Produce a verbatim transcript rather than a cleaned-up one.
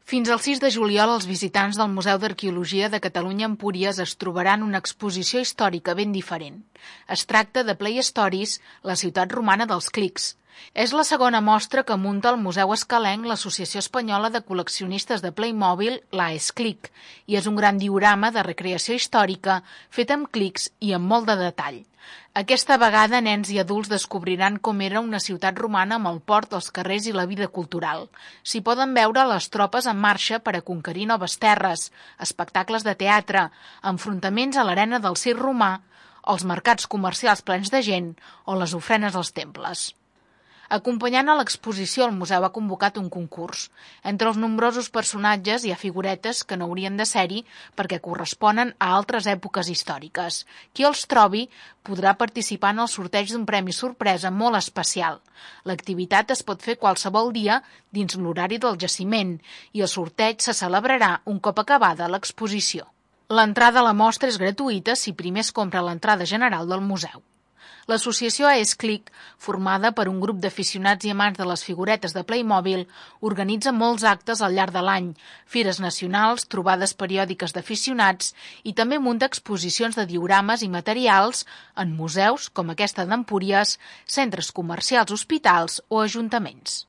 Fins al sis de juliol, els visitants del Museu d'Arqueologia de Catalunya a Empúries es trobaran una exposició històrica ben diferent. Es tracta de Play Stories, la ciutat romana dels clics. És la segona mostra que munta el Museu Escalenc l'Associació Espanyola de Col·leccionistes de Playmobil, la Esclic, i és un gran diorama de recreació històrica fet amb clics i amb molt de detall. Aquesta vegada, nens i adults descobriran com era una ciutat romana amb el port, els carrers i la vida cultural. S'hi poden veure les tropes en marxa per a conquerir noves terres, espectacles de teatre, enfrontaments a l'arena del circ romà, els mercats comercials plens de gent o les ofrenes als temples. Acompanyant a l'exposició, el museu ha convocat un concurs. Entre els nombrosos personatges hi ha figuretes que no haurien de ser-hi perquè corresponen a altres èpoques històriques. Qui els trobi podrà participar en el sorteig d'un premi sorpresa molt especial. L'activitat es pot fer qualsevol dia dins l'horari del jaciment i el sorteig se celebrarà un cop acabada l'exposició. L'entrada a la mostra és gratuïta si primer es compra l'entrada general del museu. L'associació Esclic, formada per un grup d'aficionats i amants de les figuretes de Playmobil, organitza molts actes al llarg de l'any, fires nacionals, trobades periòdiques d'aficionats i també munta exposicions de diorames i materials en museus com aquesta d'Empúries, centres comercials, hospitals o ajuntaments.